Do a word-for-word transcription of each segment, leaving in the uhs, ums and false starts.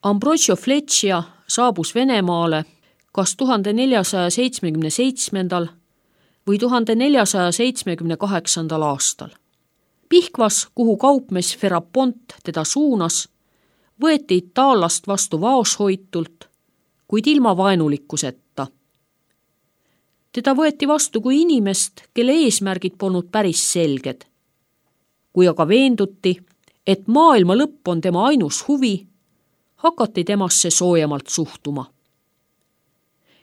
Ambrogio Fleccia saabus Venemaale kas tuhande neljasaja seitsmekümne seitsmendal või tuhande neljasaja seitsmekümne kaheksandal aastal. Pihkvas, kuhu kaupmees Ferapont teda suunas, võeti itaallast vastu vaoshoitult, kuid ilma vaenulikkuseta. Teda võeti vastu kui inimest, kelle eesmärgid polnud päris selged. Kui aga veenduti, et maailma lõpp on tema ainus huvi, hakati temasse soojemalt suhtuma.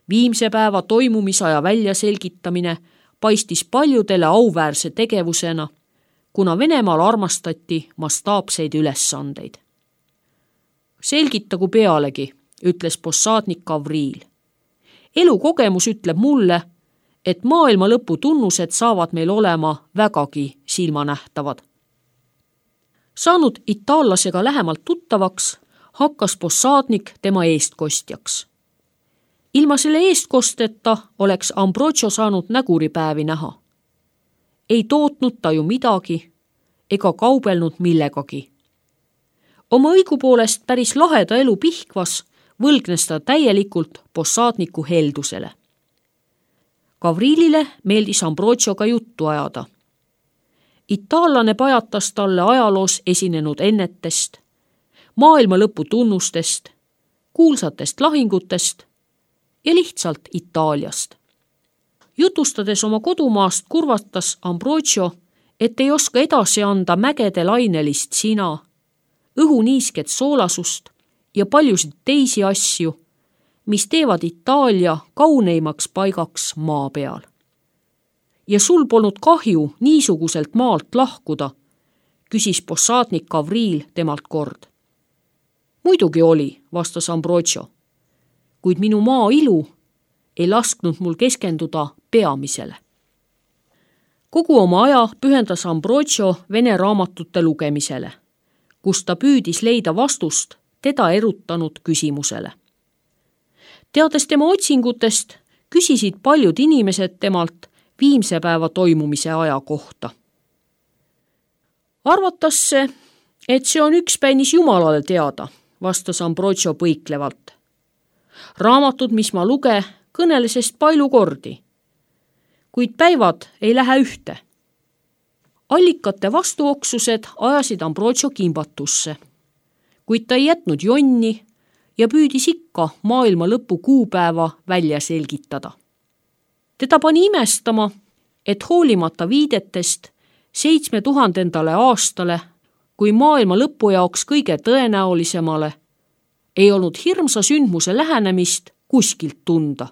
Viimse päeva toimumisaja väljaselgitamine paistis paljudele auväärse tegevusena, kuna Venemaal armastati mastaapseid ülesandeid. Selgitagu pealegi, ütles possaadnik Gavriil. Elukogemus ütleb mulle, et maailma lõpu tunnused saavad meil olema vägagi silmanähtavad. Saanud itaallasega lähemalt tuttavaks, hakkas possaadnik tema eestkostjaks. Ilma selle eestkosteta oleks Ambrogio saanud näguripäevi näha. Ei tootnud ta ju midagi ega kaubelnud millegagi. Oma õigupoolest päris laheda elu Pihkvas võlgnes ta täielikult possaadniku heldusele. Gavriilile meeldis Ambrogioga juttu ajada. Itaallane pajatas talle ajaloos esinenud ennetest, maailma lõpu tunnustest, kuulsatest lahingutest ja lihtsalt Itaaliast. Jutustades oma kodumaast kurvatas Ambrogio, et ei oska edasi anda mägede lainelist sina, õhuniisket soolasust ja paljusid teisi asju, mis teevad Itaalia kauneimaks paigaks maa peal. Ja sul polnud kahju niisuguselt maalt lahkuda, küsis possaadnik Gavriil temalt kord. Muidugi oli, vastas Ambrogio, kuid minu maa ilu ei lasknud mul keskenduda peamisele. Kogu oma aja pühendas Ambrogio vene raamatute lugemisele, kus ta püüdis leida vastust teda erutanud küsimusele. Teades tema otsingutest, küsisid paljud inimesed temalt viimse päeva toimumise aja kohta. Arvatas see, et see on ükspäinis Jumalale teada, vastas Ambrogio põiklevalt. Raamatud, mis ma luge, kõnelesest palju kordi, kuid päevad ei lähe ühte. Allikate vastuoksused ajasid Ambrogio kimbatusse, kuid ta ei jätnud jonni ja püüdis ikka maailma lõpu kuupäeva välja selgitada. Teda pani imestama, et hoolimata viidetest seitsme tuhandendale aastale, kui maailma lõpu jaoks kõige tõenäolisemale, ei olnud hirmsa sündmuse lähenemist kuskilt tunda.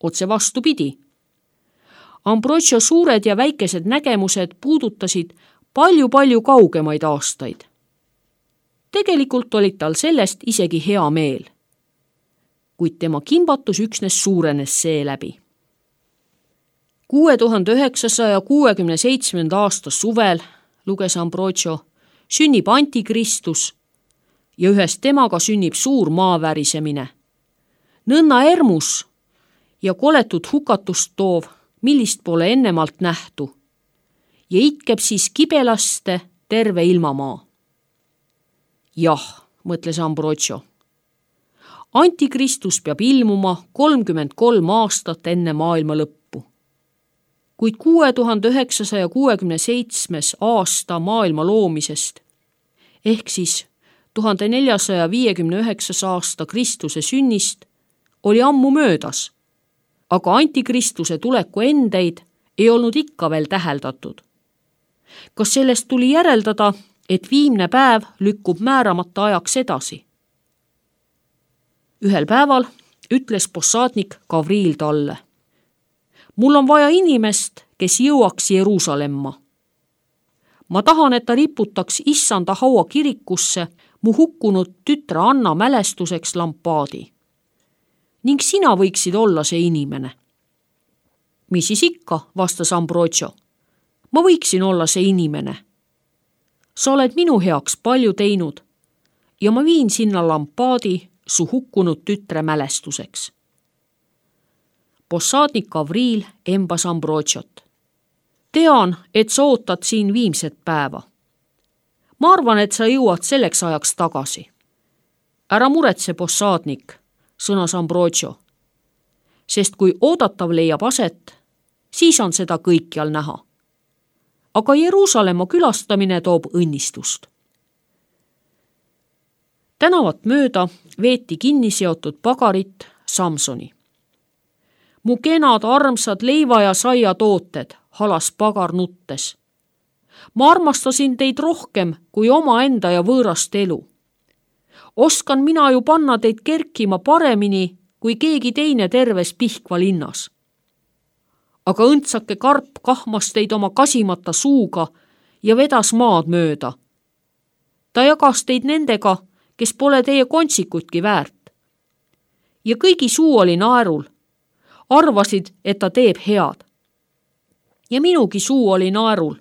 Otse vastupidi. Ambrogio suured ja väikesed nägemused puudutasid palju-palju kaugemaid aastaid. Tegelikult olid tal sellest isegi hea meel, kuid tema kimbatus üksnes suurenes seeläbi. kuue tuhande üheksasaja kuuekümne seitsmenda aasta suvel, luges Ambrogio, sünnib Antikristus ja ühest temaga sünnib suur maavärisemine. Nõnna ermus ja koletut hukatust toov, millist pole ennemalt nähtu, ja itkeb siis kibelaste terve ilmamaa. Jah, mõtles Ambrogio. Antikristus peab ilmuma kolmkümmend kolm aastat enne maailma lõppu. Kuid kuue tuhande üheksasaja kuuekümne seitsmes aasta maailma loomisest, ehk siis tuhande neljasaja viiekümne üheksas aasta Kristuse sünnist, oli ammu möödas, aga Antikristuse tuleku endeid ei olnud ikka veel täheldatud. Kas sellest tuli järeldada, et viimne päev lükkub määramata ajaks edasi? Ühel päeval ütles possaadnik Gavriil talle. Mul on vaja inimest, kes jõuaks Jeruusalemma. Ma tahan, et ta riputaks issanda haua kirikusse mu hukkunud tütre Anna mälestuseks lampaadi. Ning sina võiksid olla see inimene. Mis siis ikka, vastas Ambrogio. Ma võiksin olla see inimene. Sa oled minu heaks palju teinud ja ma viin sinna lampaadi su hukkunud tütre mälestuseks. Possaadnik Gavriil embas Ambrogiot. Tean, et sa ootad siin viimset päeva. Ma arvan, et sa jõuad selleks ajaks tagasi. Ära muretse, possaadnik, sõnas Ambrogio, sest kui oodatav leiab aset, siis on seda kõikjal näha. Aga Jeruusalemma külastamine toob õnnistust. Tänavat mööda veeti kinni seotud pagarit Samsoni. Mu kenad armsad leiva ja saia tooted, halas pagar nuttes. Ma armastasin teid rohkem kui omaenda ja võõrast elu. Oskan mina ju panna teid kerkima paremini kui keegi teine terves Pihkva linnas. Aga õndsake karp kahmas teid oma kasimata suuga ja vedas maad mööda. Ta jagas teid nendega, kes pole teie kontsikutki väärt. Ja kõigi suu oli naerul. Arvasid, et ta teeb head. Ja minugi suu oli naerul,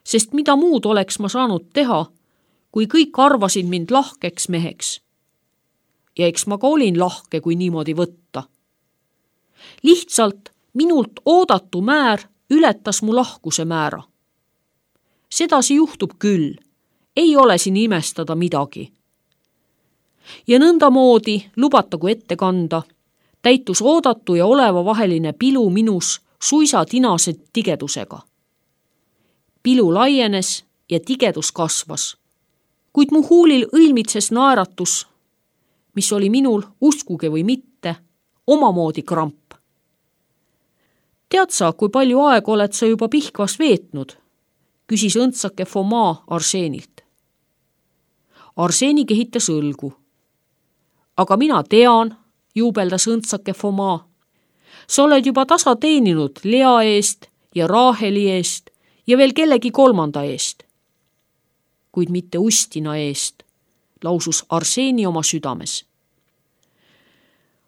sest mida muud oleks ma saanud teha, kui kõik arvasid mind lahkeks meheks. Ja eks ma ka olin lahke, kui niimoodi võtta. Lihtsalt minult oodatu määr ületas mu lahkuse määra. Sedasi juhtub küll, ei ole siin imestada midagi. Ja nõndamoodi, lubatagu ette kanda, täitus oodatu ja oleva vaheline pilu minus suisa tinase tigedusega. Pilu laienes ja tigedus kasvas, kuid mu huulil õilmitses naeratus, mis oli minul, uskuge või mitte, omamoodi kramp. Tead sa, kui palju aega oled sa juba Pihkvas veetnud? Küsis õndsake Foma Arseenilt. Arseeni kehitas õlgu. Aga mina tean, juubeldas õndsake Foma. Sa oled juba tasa teeninud Lea eest ja Raaheli eest ja veel kellegi kolmanda eest. Kuid mitte Ustina eest, lausus Arseeni oma südames.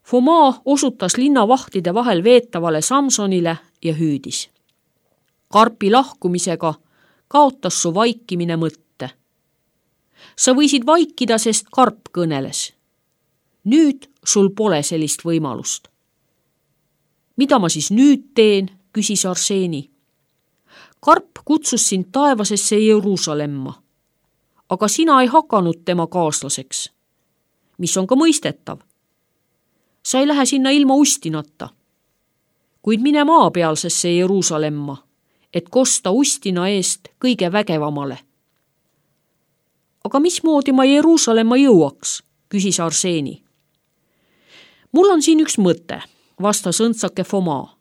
Foma osutas linnavahtide vahel veetavale Samsonile ja hüüdis. Karpi lahkumisega kaotas su vaikimine mõtte. Sa võisid vaikida, sest karp kõneles. Nüüd sul pole sellist võimalust. Mida ma siis nüüd teen, küsis Arseeni. Karp kutsus sind taevasesse Jeruusalemma, aga sina ei hakanud tema kaaslaseks, mis on ka mõistetav. Sa ei lähe sinna ilma Ustinata, kuid mine maapealsesse Jeruusalemma, et kosta Ustina eest kõige vägevamale. Aga mismoodi ma Jeruusalemma jõuaks, küsis Arseeni. Mul on siin üks mõte, vastas õndsake Foma.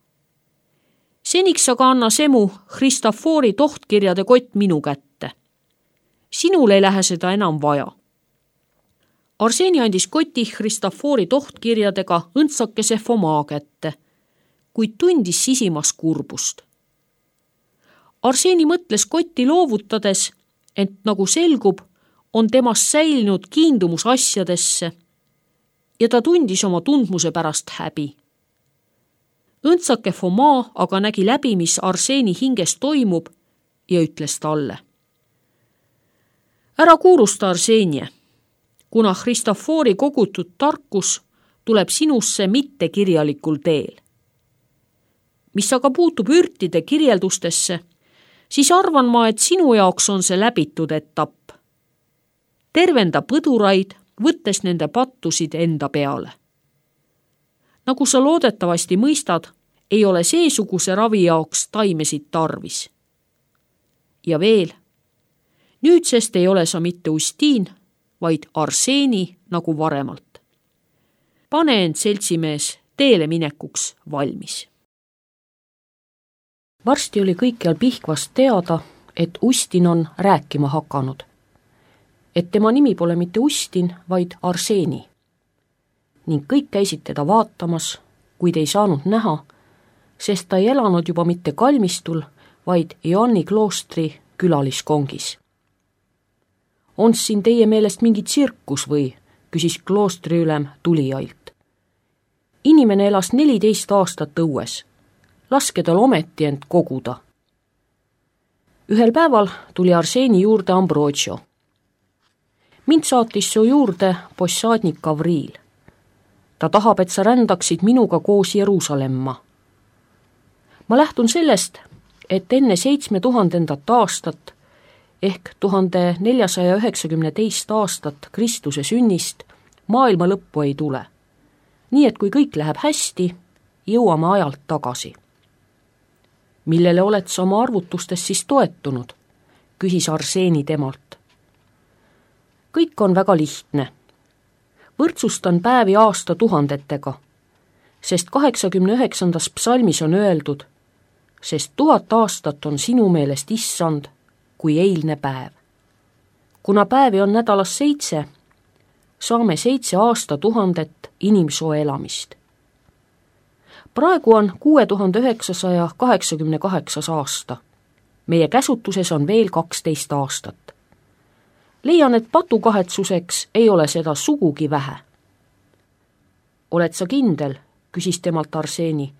Seniks aga anna semu Christofori tohtkirjade kott minu kätte. Sinul ei lähe seda enam vaja. Arseeni andis koti Christofori tohtkirjadega õndsakese Foma kätte, kuid tundis sisimas kurbust. Arseeni mõtles kotti loovutades, ent nagu selgub, on temast säilinud kiindumus asjadesse ja ta tundis oma tundmuse pärast häbi. Õndsake Foma aga nägi läbi, mis Arseeni hinges toimub ja ütles talle. Ära kuurusta, Arseenie, kuna Christofori kogutud tarkus tuleb sinusse mitte kirjalikul teel. Mis aga puutub ürtide kirjeldustesse, siis arvan ma, et sinu jaoks on see läbitud etapp. Tervenda põduraid, võttes nende pattusid enda peale. Nagu sa loodetavasti mõistad, ei ole seesuguse ravi jaoks taimesid tarvis. Ja veel, nüüdsest ei ole sa mitte Ustiin, vaid Arseeni nagu varemalt. Pane end, seltsimees, teele minekuks valmis. Varsti oli kõikjal Pihkvas teada, et Ustin on rääkima hakanud. Et tema nimi pole mitte Ustin, vaid Arseeni. Ning kõik käisid teda vaatamas, kuid ei saanud näha, sest ta ei elanud juba mitte kalmistul, vaid Joanni kloostri külaliskongis. On siin teie meelest mingi tsirkus või, küsis kloostriülem tulijailt. Inimene elas neliteist aastat õues. Laske tal ometi end koguda. Ühel päeval tuli Arseeni juurde Ambrogio. Mind saatis su juurde possaadnik Gavriil. Ta tahab, et sa rändaksid minuga koos Jeruusalemma. Ma lähtun sellest, et enne seitsme tuhandendat aastat ehk tuhande neljasaja üheksakümne teist aastat Kristuse sünnist maailma lõppu ei tule. Nii et kui kõik läheb hästi, jõuame ajalt tagasi. Millele oled sa oma arvutustes siis toetunud? Küsis Arseni temalt. Kõik on väga lihtne. Võrdsustan päevi aasta tuhandetega, sest kaheksakümne üheksandas psalmis on öeldud, sest tuhat aastat on sinu meelest issand kui eilne päev. Kuna päevi on nädalas seitse, saame seitse aasta tuhandet inimsoo elamist. Praegu on kuue tuhande üheksasaja kaheksakümne kaheksas aasta. Meie käsutuses on veel kaksteist aastat. Leian, et patukahetsuseks ei ole seda sugugi vähe. Oled sa kindel, küsis temalt Arseni,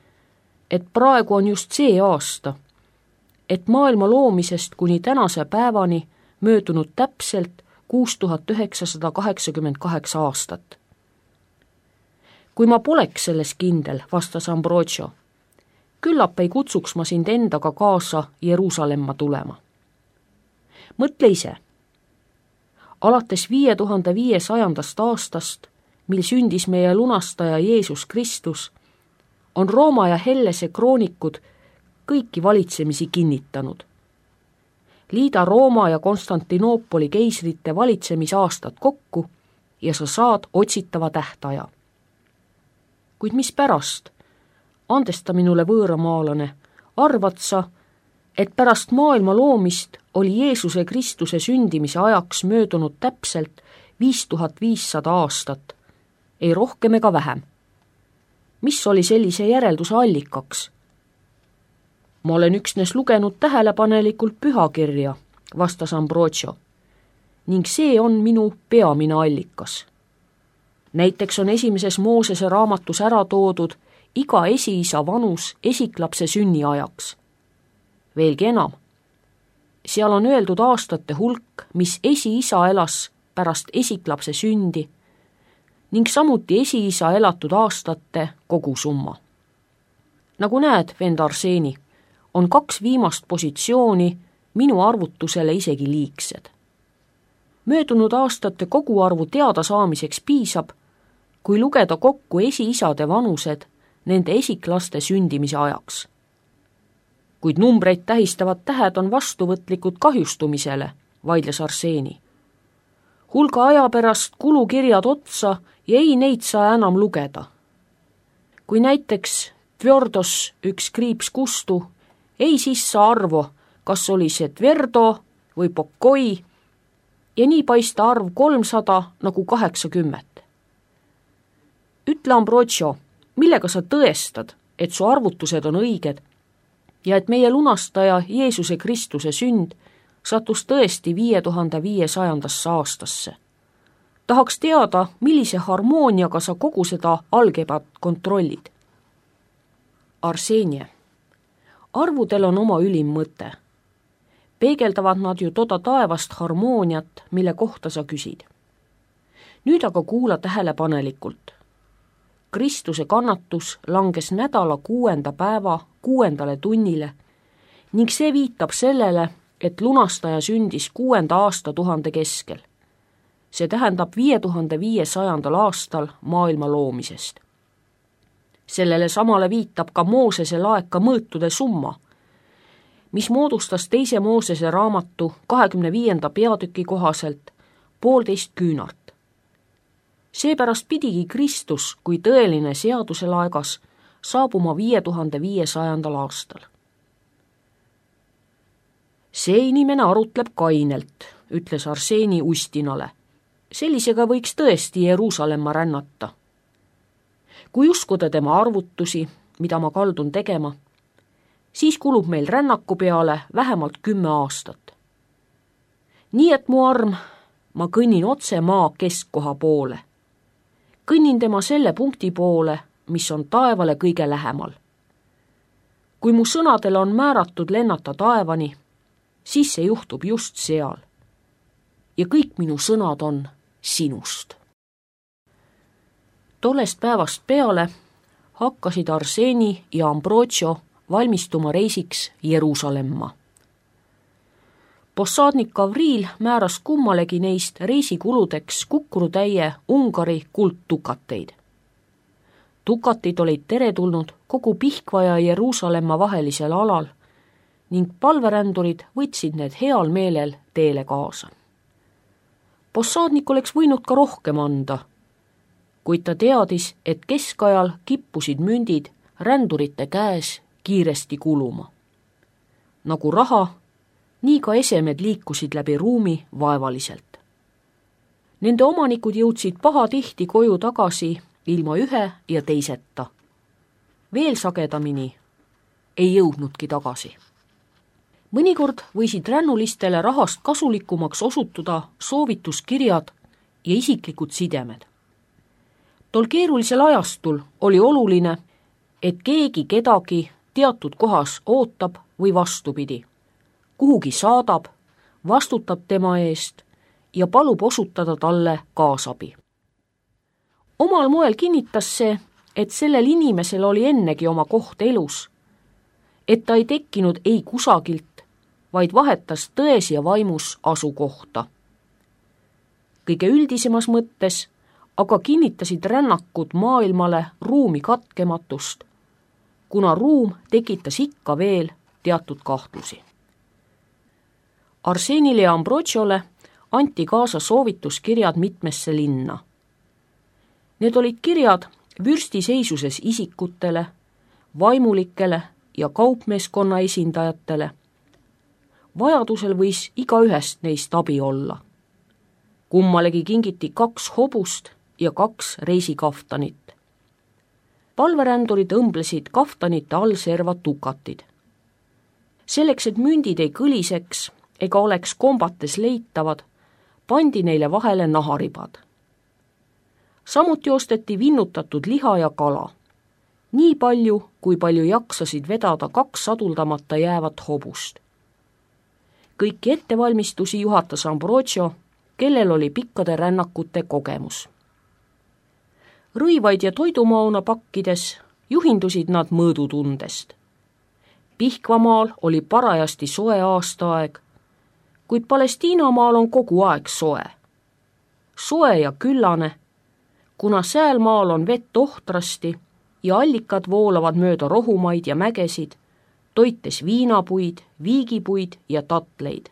et praegu on just see aasta, et maailma loomisest kuni tänase päevani möödunud täpselt kuus tuhat üheksasada kaheksakümmend kaheksa aastat. Kui ma poleks selles kindel, vastas Ambrogio, küllap ei kutsuks ma sind endaga kaasa Jeruusalemma tulema. Mõtle ise. Alates viie tuhande viiesajandast aastast, mil sündis meie lunastaja Jeesus Kristus, on Rooma ja Hellese kroonikud kõiki valitsemisi kinnitanud. Liida Rooma ja Konstantinoopoli keisrite valitsemisaastad kokku ja sa saad otsitava tähtaja. Kuid mis pärast? Andesta minule võõramaalane, arvad sa, et pärast maailma loomist oli Jeesuse Kristuse sündimise ajaks möödunud täpselt viis tuhat viissada aastat, ei rohkem ega vähem. Mis oli sellise järelduse allikaks? Ma olen üksnes lugenud tähelepanelikult pühakirja, vastas Ambrogio, ning see on minu peamine allikas. Näiteks on esimeses Moosese raamatus ära toodud iga esiisa vanus esiklapse sünni ajaks. Veelgi enam, seal on öeldud aastate hulk, mis esiisa elas pärast esiklapse sündi ning samuti esiisa elatud aastate kogusumma. Nagu näed, vend Arseni, on kaks viimast positsiooni minu arvutusele isegi liigsed. Möödunud aastate koguarvu teada saamiseks piisab, kui lugeda kokku esiisade vanused nende esiklaste sündimise ajaks. Kuid numbreid tähistavad tähed on vastuvõtlikud kahjustumisele, vaidles Arseni. Hulga aja pärast kulukirjad otsa ja ei neid saa enam lugeda. Kui näiteks Tverdos üks kriips kustu, ei sissa arvo, kas oli see Tverdo või Pokoi, ja nii paista arv kolmsada nagu kaheksakümmet. Ütle, Ambrogio, millega sa tõestad, et su arvutused on õiged ja et meie lunastaja Jeesuse Kristuse sünd sattus tõesti viie tuhande viiesajandasse aastasse. Tahaks teada, millise harmooniaga sa kogu seda algebrat kontrollid. Arsenie, arvudel on oma ülim mõte. Peegeldavad nad ju toda taevast harmooniat, mille kohta sa küsid. Nüüd aga kuula tähelepanelikult. Kristuse kannatus langes nädala kuuenda päeva kuuendale tunnile ning see viitab sellele, et lunastaja sündis kuuenda aastatuhande keskel. See tähendab viie tuhande viiesajandal aastal maailma loomisest. Sellele samale viitab ka Moosese laeka mõõtude summa, mis moodustas teise Moosese raamatu kahekümne viienda peatüki kohaselt poolteist küünart. Seepärast pidigi Kristus kui tõeline seaduselaegas saabuma viie tuhande viiesajandal aastal. See inimene arutleb kainelt, ütles Arseni Ustinale. Sellisega võiks tõesti Jeruusalemma rännata. Kui uskuda tema arvutusi, mida ma kaldun tegema, siis kulub meil rännaku peale vähemalt kümme aastat. Nii et mu arm, ma kõnnin otse maa keskkoha poole. Kõnnin tema selle punkti poole, mis on taevale kõige lähemal. Kui mu sõnadele on määratud lennata taevani, siis see juhtub just seal. Ja kõik minu sõnad on sinust. Tollest päevast peale hakkasid Arseni ja Ambrogio valmistuma reisiks Jeruusalemma. Possadnik Gavril määras kummalegi neist reisikuludeks kukrutäie Ungari kuldtukateid. Tukatid olid teretulnud kogu Pihkva ja Jeruusalemma vahelisel alal ning palverändurid võtsid need heal meelel teele kaasa. Possadnik oleks võinud ka rohkem anda, kuid ta teadis, et keskajal kippusid mündid rändurite käes kiiresti kuluma. Nagu raha, nii ka esemed liikusid läbi ruumi vaevaliselt. Nende omanikud jõudsid pahatihti koju tagasi ilma ühe ja teiseta. Veel sagedamini ei jõudnudki tagasi. Mõnikord võisid rännulistele rahast kasulikumaks osutuda soovituskirjad ja isiklikud sidemed. Tol keerulisel ajastul oli oluline, et keegi kedagi teatud kohas ootab või vastupidi, kuhugi saadab, vastutab tema eest ja palub osutada talle kaasabi. Omal moel kinnitas see, et sellel inimesel oli ennegi oma koht elus, et ta ei tekkinud ei kusagilt, vaid vahetas tões ja vaimus asukohta. Kõige üldisemas mõttes aga kinnitasid rännakud maailmale ruumi katkematust, kuna ruum tekitas ikka veel teatud kahtlusi. Arsenile ja Ambrosiole anti kaasa soovituskirjad mitmesse linna. Need olid kirjad vürstiseisuses isikutele, vaimulikele ja kaupmeeskonna esindajatele. Vajadusel võis igaühest neist abi olla. Kummalegi kingiti kaks hobust ja kaks reisikaftanit. Palverändurid õmblesid kaftanite all servad tukatid. Selleks, et mündid ei kõliseks ega oleks kombates leitavad, pandi neile vahele naharibad. Samuti osteti vinnutatud liha ja kala. Nii palju, kui palju jaksasid vedada kaks saduldamata jäävat hobust. Kõiki ettevalmistusi juhatas Ambrosio, kellel oli pikkade rännakute kogemus. Rõivaid ja toidumauna pakkides juhindusid nad mõõdutundest. Pihkvamaal oli parajasti soe aastaaeg, kuid Palestiinamaal on kogu aeg soe. Soe ja küllane, kuna säälmaal on vett ohtrasti ja allikad voolavad mööda rohumaid ja mägesid, toites viinapuid, viigipuid ja tatleid.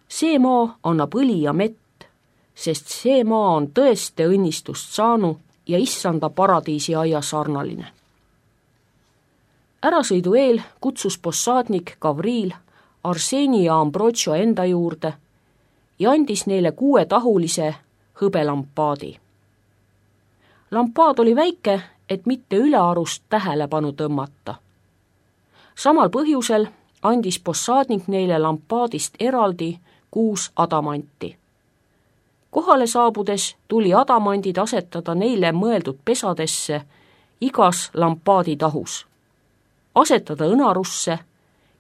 See maa annab õli ja mett, sest see maa on tõeste õnnistust saanu ja issanda paradiisi aia sarnaline. Ärasõidu eel kutsus possadnik Gavril Arseni ja Ambrosio enda juurde ja andis neile kuuetahulise hõbelampaadi. Lampaad oli väike, et mitte ülearust tähelepanu tõmmata. Samal põhjusel andis possadnik neile lampaadist eraldi kuus adamanti. Kohale saabudes tuli adamandid asetada neile mõeldud pesadesse igas lampaadi tahus, asetada õnarusse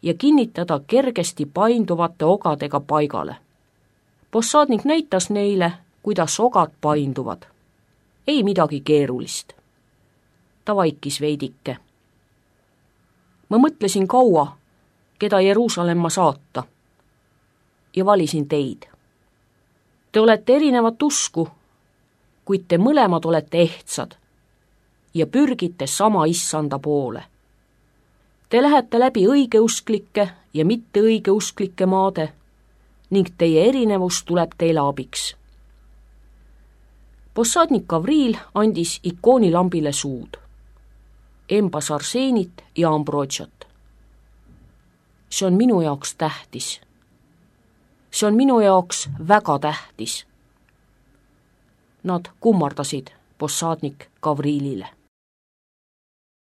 ja kinnitada kergesti painduvate ogadega paigale. Possadnik näitas neile, kuidas ogad painduvad. Ei midagi keerulist. Ta vaikis veidike. Ma mõtlesin kaua, keda Jeruusalemma saata, ja valisin teid. Te olete erinevat usku, kuid te mõlemad olete ehtsad ja pürgite sama issanda poole. Te lähete läbi õigeusklike ja mitte õigeusklike maade ning teie erinevus tuleb teile abiks. Possadnik Gavril andis ikoonilambile suud, embas Arsenit ja Ambrosiot. See on minu jaoks tähtis. See on minu jaoks väga tähtis. Nad kummardasid possadnik Gavrilile.